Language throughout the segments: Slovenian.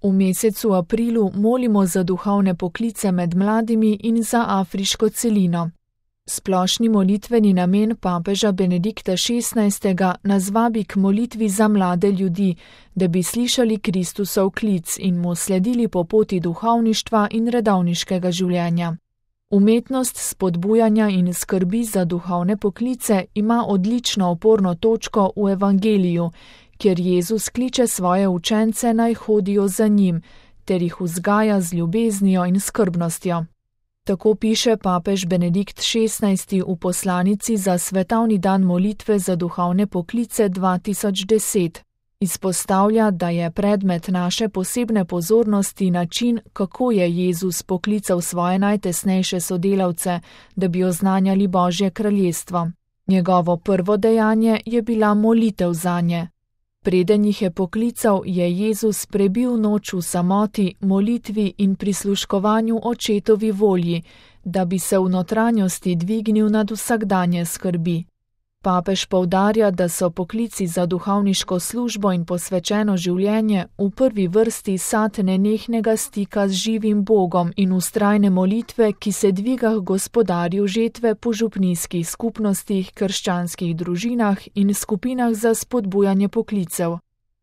V mesecu aprilu molimo za duhovne poklice med mladimi in za afriško celino. Splošni molitveni namen papeža Benedikta XVI. Nas vabi k molitvi za mlade ljudi, da bi slišali Kristusov klic in mu sledili po poti duhovništva in redovniškega življenja. Umetnost spodbujanja in skrbi za duhovne poklice ima odlično oporno točko v Evangeliju, kjer Jezus kliče svoje učence naj hodijo za njim, ter jih vzgaja z ljubeznijo in skrbnostjo. Tako piše papež Benedikt XVI. V poslanici za svetovni dan molitve za duhovne poklice 2010. Izpostavlja, da je predmet naše posebne pozornosti način, kako je Jezus poklical svoje najtesnejše sodelavce, da bi oznanjali Božje kraljestvo. Njegovo prvo dejanje je bila molitev zanje. Preden jih je poklical, je Jezus prebil noč v samoti, molitvi in prisluškovanju očetovi volji, da bi se v notranjosti dvignil nad vsakdanje skrbi. Papež poudarja, da so poklici za duhovniško službo in posvečeno življenje v prvi vrsti sad nenehnega stika z živim Bogom in vztrajne molitve, ki se dviga k Gospodarju žetve po župnijskih skupnostih, krščanskih družinah in skupinah za spodbujanje poklicev.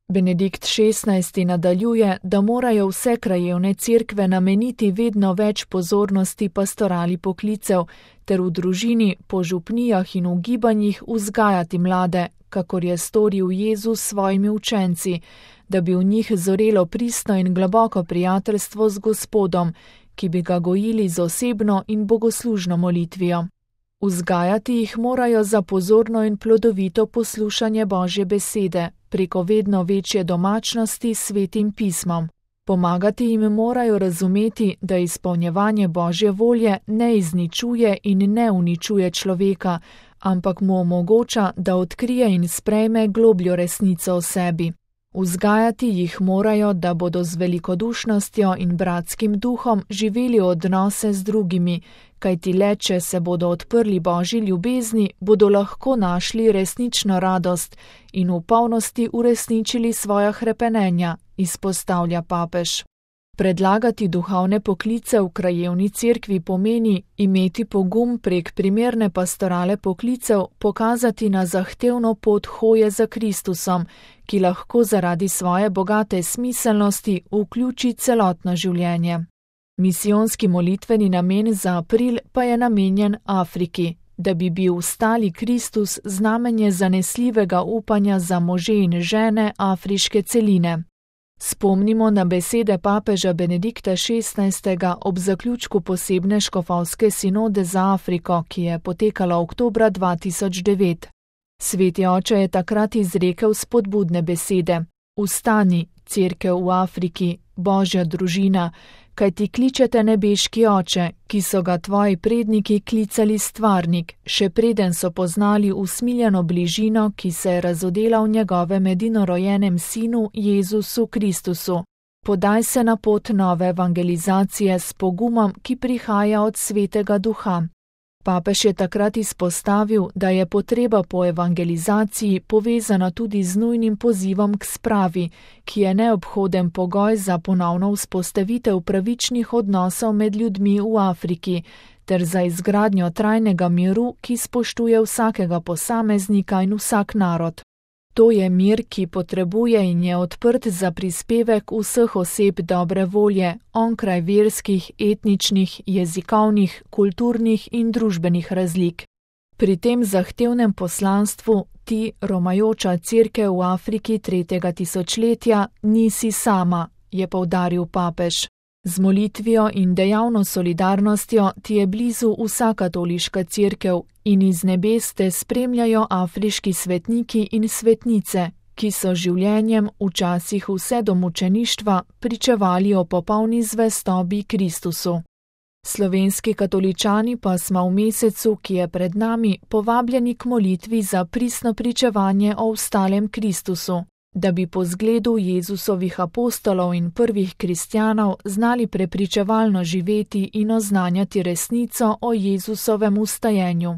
Benedikt XVI. Nadaljuje, da morajo vse krajevne cerkve nameniti vedno več pozornosti pastorali poklicev, ter v družini, po župnijah in v gibanjih vzgajati mlade, kakor je storil Jezus s svojimi učenci, da bi v njih zorelo pristno in globoko prijateljstvo z Gospodom, ki bi ga gojili z osebno in bogoslužno molitvijo. Vzgajati jih morajo za pozorno in plodovito poslušanje Božje besede, preko vedno večje domačnosti s Svetim pismom. Pomagati jim morajo razumeti, da izpolnjevanje Božje volje ne izničuje in ne uničuje človeka, ampak mu omogoča, da odkrije in sprejme globljo resnico o sebi. Vzgajati jih morajo, da bodo z velikodušnostjo in bratskim duhom živeli odnose z drugimi, kajti le če se bodo odprli Božji ljubezni, bodo lahko našli resnično radost in v polnosti uresničili svoja hrepenenja, izpostavlja papež. Predlagati duhovne poklice v krajevni cerkvi pomeni imeti pogum prek primerne pastorale poklicev pokazati na zahtevno pot hoje za Kristusom, ki lahko zaradi svoje bogate smiselnosti vključi celotno življenje. Misijonski molitveni namen za april pa je namenjen Afriki, da bi bil stali Kristus znamenje zanesljivega upanja za može in žene afriške celine. Spomnimo na besede papeža Benedikta XVI. Ob zaključku posebne škofovske sinode za Afriko, ki je potekala oktobra 2009. Sveti oče je takrat izrekel spodbudne besede: Vstani, cerkev v Afriki, Božja družina, kajti kličete nebeški oče, ki so ga tvoji predniki klicali stvarnik, še preden so poznali usmiljeno bližino, ki se je razodela v njegovem edinorojenem sinu Jezusu Kristusu. Podaj se na pot nove evangelizacije s pogumom, ki prihaja od Svetega Duha. Papež je takrat izpostavil, da je potreba po evangelizaciji povezana tudi z nujnim pozivom k spravi, ki je neobhoden pogoj za ponovno vzpostavitev pravičnih odnosov med ljudmi v Afriki, ter za izgradnjo trajnega miru, ki spoštuje vsakega posameznika in vsak narod. To je mir, ki potrebuje in je odprt za prispevek vseh oseb dobre volje, onkraj verskih, etničnih, jezikovnih, kulturnih in družbenih razlik. Pri tem zahtevnem poslanstvu ti, romajoča cerkev v Afriki 3. tisočletja, nisi sama, je poudaril papež. Z molitvijo in dejavno solidarnostjo ti je blizu vsa katoliška cerkev in iz nebes te spremljajo afriški svetniki in svetnice, ki so življenjem včasih vse do mučeništva pričevali o popolni zvestobi Kristusu. Slovenski katoličani pa smo v mesecu, ki je pred nami, povabljeni k molitvi za pristno pričevanje o vstalem Kristusu, da bi po zgledu Jezusovih apostolov in prvih kristjanov znali prepričevalno živeti in oznanjati resnico o Jezusovem vstajenju.